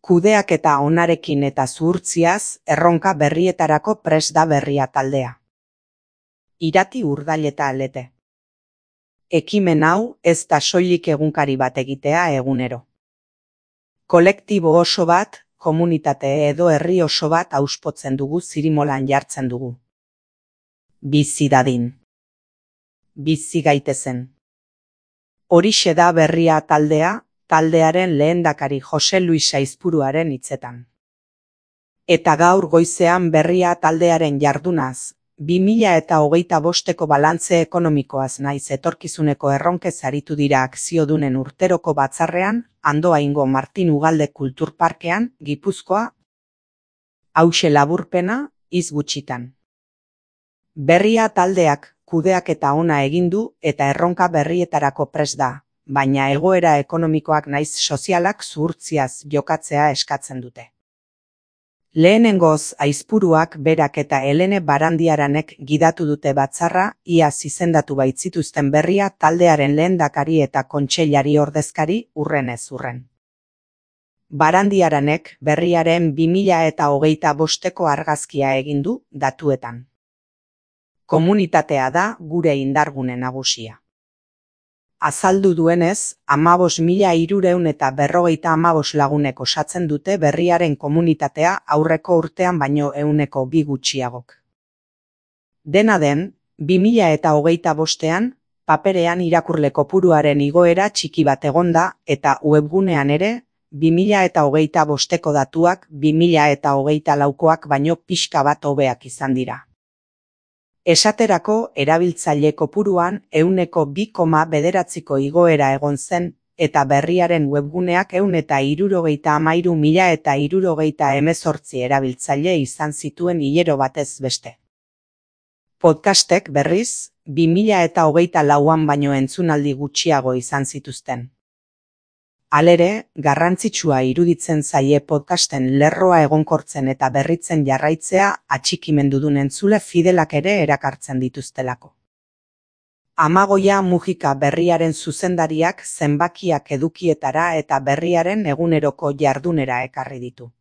Kudeaketa onarekin eta zuhurtziaz erronka berrietarako prest da Berria taldea. Irati Urdaileta Alete. Ekimen hau ez da soilik egunkari bat egitea egunero. Kolektibo oso bat, komunitate edo herri oso bat auspotzen dugu zirimolan jartzen dugu. Bizi dadin. Bizi gaitezen. Horixe da Berria taldea, taldearen lehendakari Jose Luis Aizpuruaren hitzetan. Eta gaur goizean Berria taldearen jardunaz, 2025ko balantze ekonomikoaz naiz etorkizuneko erronkez aritu dira akziodunen urteroko batzarrean, Andoaingo Martin Ugalde Kulturparkean, Gipuzkoa. Hauxe laburpena, hitz gutxitan. Berria taldeak kudeaketa ona egin du eta erronka berrietarako prest da, baina egoera ekonomikoak naiz sozialak zuhurtziaz jokatzea eskatzen dute. Lehenengoz Aizpuruak berak eta Helene Barandiaranek gidatu dute batzarra, iaz izendatu baitzituzten Berria taldearen lehendakari eta kontseilari ordezkari urrenez urren. Barandiaranek Berriaren 2025ko argazkia egin du datuetan. Komunitatea da gure indargune nagusia. Azaldu duenez, 15.355 lagunek osatzen dute Berriaren komunitatea aurreko urtean baino 102 gutxiagok. Dena den, 2025ean, paperean irakurle kopuruaren igoera txiki bat egonda eta webgunean ere, 2025ko datuak 2024koak baino pixka bat hobeak izan dira. Esaterako erabiltzaile kopuruan 2,9ko igoera egon zen, eta Berriaren webguneak 173.318 erabiltzaile izan zituen hilero batez beste. Podcastek berriz, 2024an baino entzunaldi gutxiago izan zituzten. Halere, garrantzitsua iruditzen zaie podcasten lerroa egonkortzen eta berritzen jarraitzea atxikimendudun entzule fidelak ere erakartzen dituztelako. Amagoia Mujika Berriaren zuzendariak zenbakiak edukietara eta Berriaren eguneroko jardunera ekarri ditu.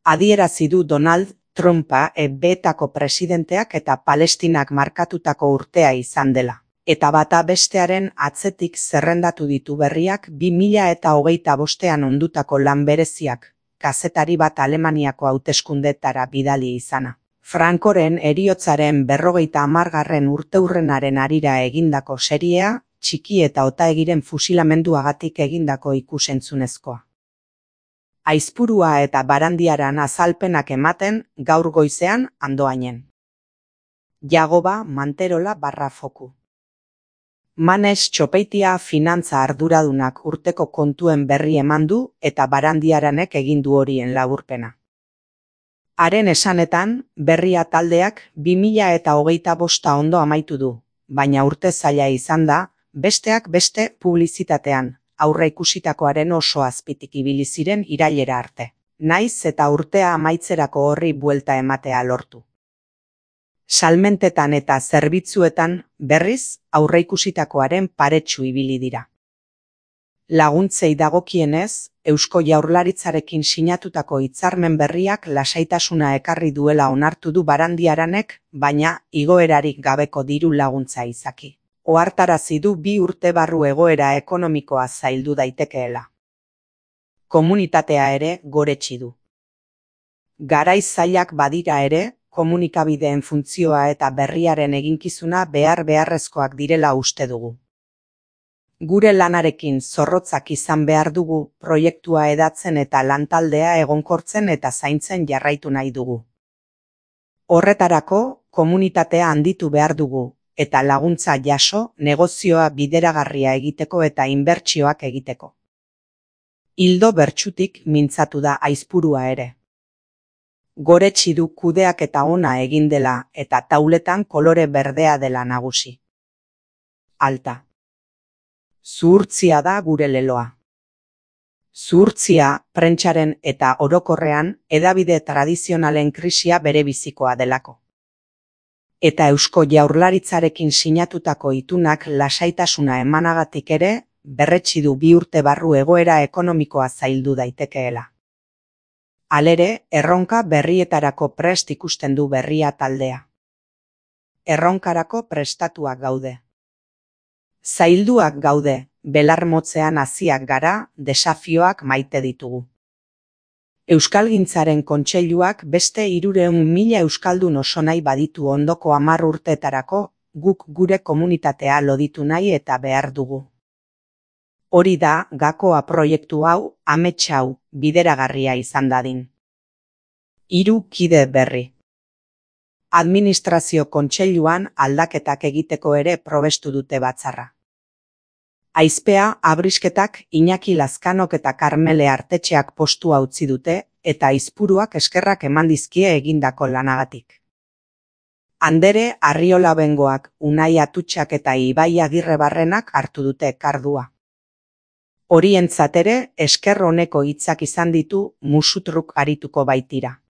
Adierazi du Donald Trumpa EB-etako presidenteak eta Palestinak markatutako urtea izan dela. Eta bata bestearen atzetik zerrendatu ditu Berriak 2025ean ondutako lan bereziak, kazetari bat Alemaniako hauteskundetara bidali izana. Francoren heriotzaren 50. urteurrenaren harira egindako seriea, Txiki eta Otaegiren fusilamenduagatik egindako ikusentzunezkoa. Aizpurua eta Barandiaran azalpenak ematen gaur goizean Andoainen. Jagoba Manterola /Foku. Manes Txopeitia finantza arduradunak urteko kontuen berri eman du eta Barandiaranek egin du horien laburpena. Haren esanetan, Berria taldeak 2025 ondo amaitu du, baina urte zaila izan da, besteak beste publizitatean, aurre ikusitakoaren oso azpitik ibili ziren irailera arte. Naiz eta urtea amaitzerako horri buelta ematea lortu. Salmentetan eta zerbitzuetan berriz aurreikusitakoaren paretsu ibili dira. Laguntzei dagokienez, Eusko Jaurlaritzarekin sinatutako hitzarmen berriak lasaitasuna ekarri duela onartu du Barandiaranek, baina igoerarik gabeko diru laguntza izaki. Ohartarazi du 2 urte barru egoera ekonomikoa zaildu daitekeela. Komunitatea ere goretsi du. Garaiz zailak badira ere, komunikabideen funtzioa eta Berriaren eginkizuna beharrezkoak direla uste dugu. Gure lanarekin zorrotzak izan behar dugu, proiektua hedatzen eta lantaldea egonkortzen eta zaintzen jarraitu nahi dugu. Horretarako, komunitatea handitu behar dugu, eta laguntza jaso, negozioa bideragarria egiteko eta inbertsioak egiteko. Ildo bertsutik mintzatu da Aizpurua ere. Goretsi du kudeaketa ona egin dela eta tauletan kolore berdea dela nagusi. Alta. Zuhurtzia da gure leloa. Zuhurtzia, prentsaren eta orokorrean hedabide tradizionalen krisia berebizikoa delako. Eta Eusko Jaurlaritzarekin sinatutako itunak lasaitasuna emanagatik ere, berretsi du 2 urte barru egoera ekonomikoa zaildu daitekeela. Halere, erronka berrietarako prest ikusten du berria taldea. Erronkarako prestatuak gaude. Zailduak gaude, belar motzean haziak gara, desafioak maite ditugu. Euskalgintzaren kontseiluak beste 300.000 euskaldun oso nahi baditu ondoko 10 urteetarako, guk gure komunitatea loditu nahi eta behar dugu. Hori da, gakoa proiektu hau, amets hau, bideragarria izan dadin. 3 kide berri. Administrazio kontseiluan aldaketak egiteko ere probestu dute batzarra. Aizpea, Abrisketak, Iñaki Lazkanok eta Karmele Artetxeak postua utzi dute, eta Aizpuruak eskerrak eman dizkie egindako lanagatik. Andere, Arriola Bengoak, Unai Atutxak eta Ibai Agirrebarrenak hartu dute kardua. Horientzat ere, esker honeko hitzak izan ditu Musutruk arituko baitira.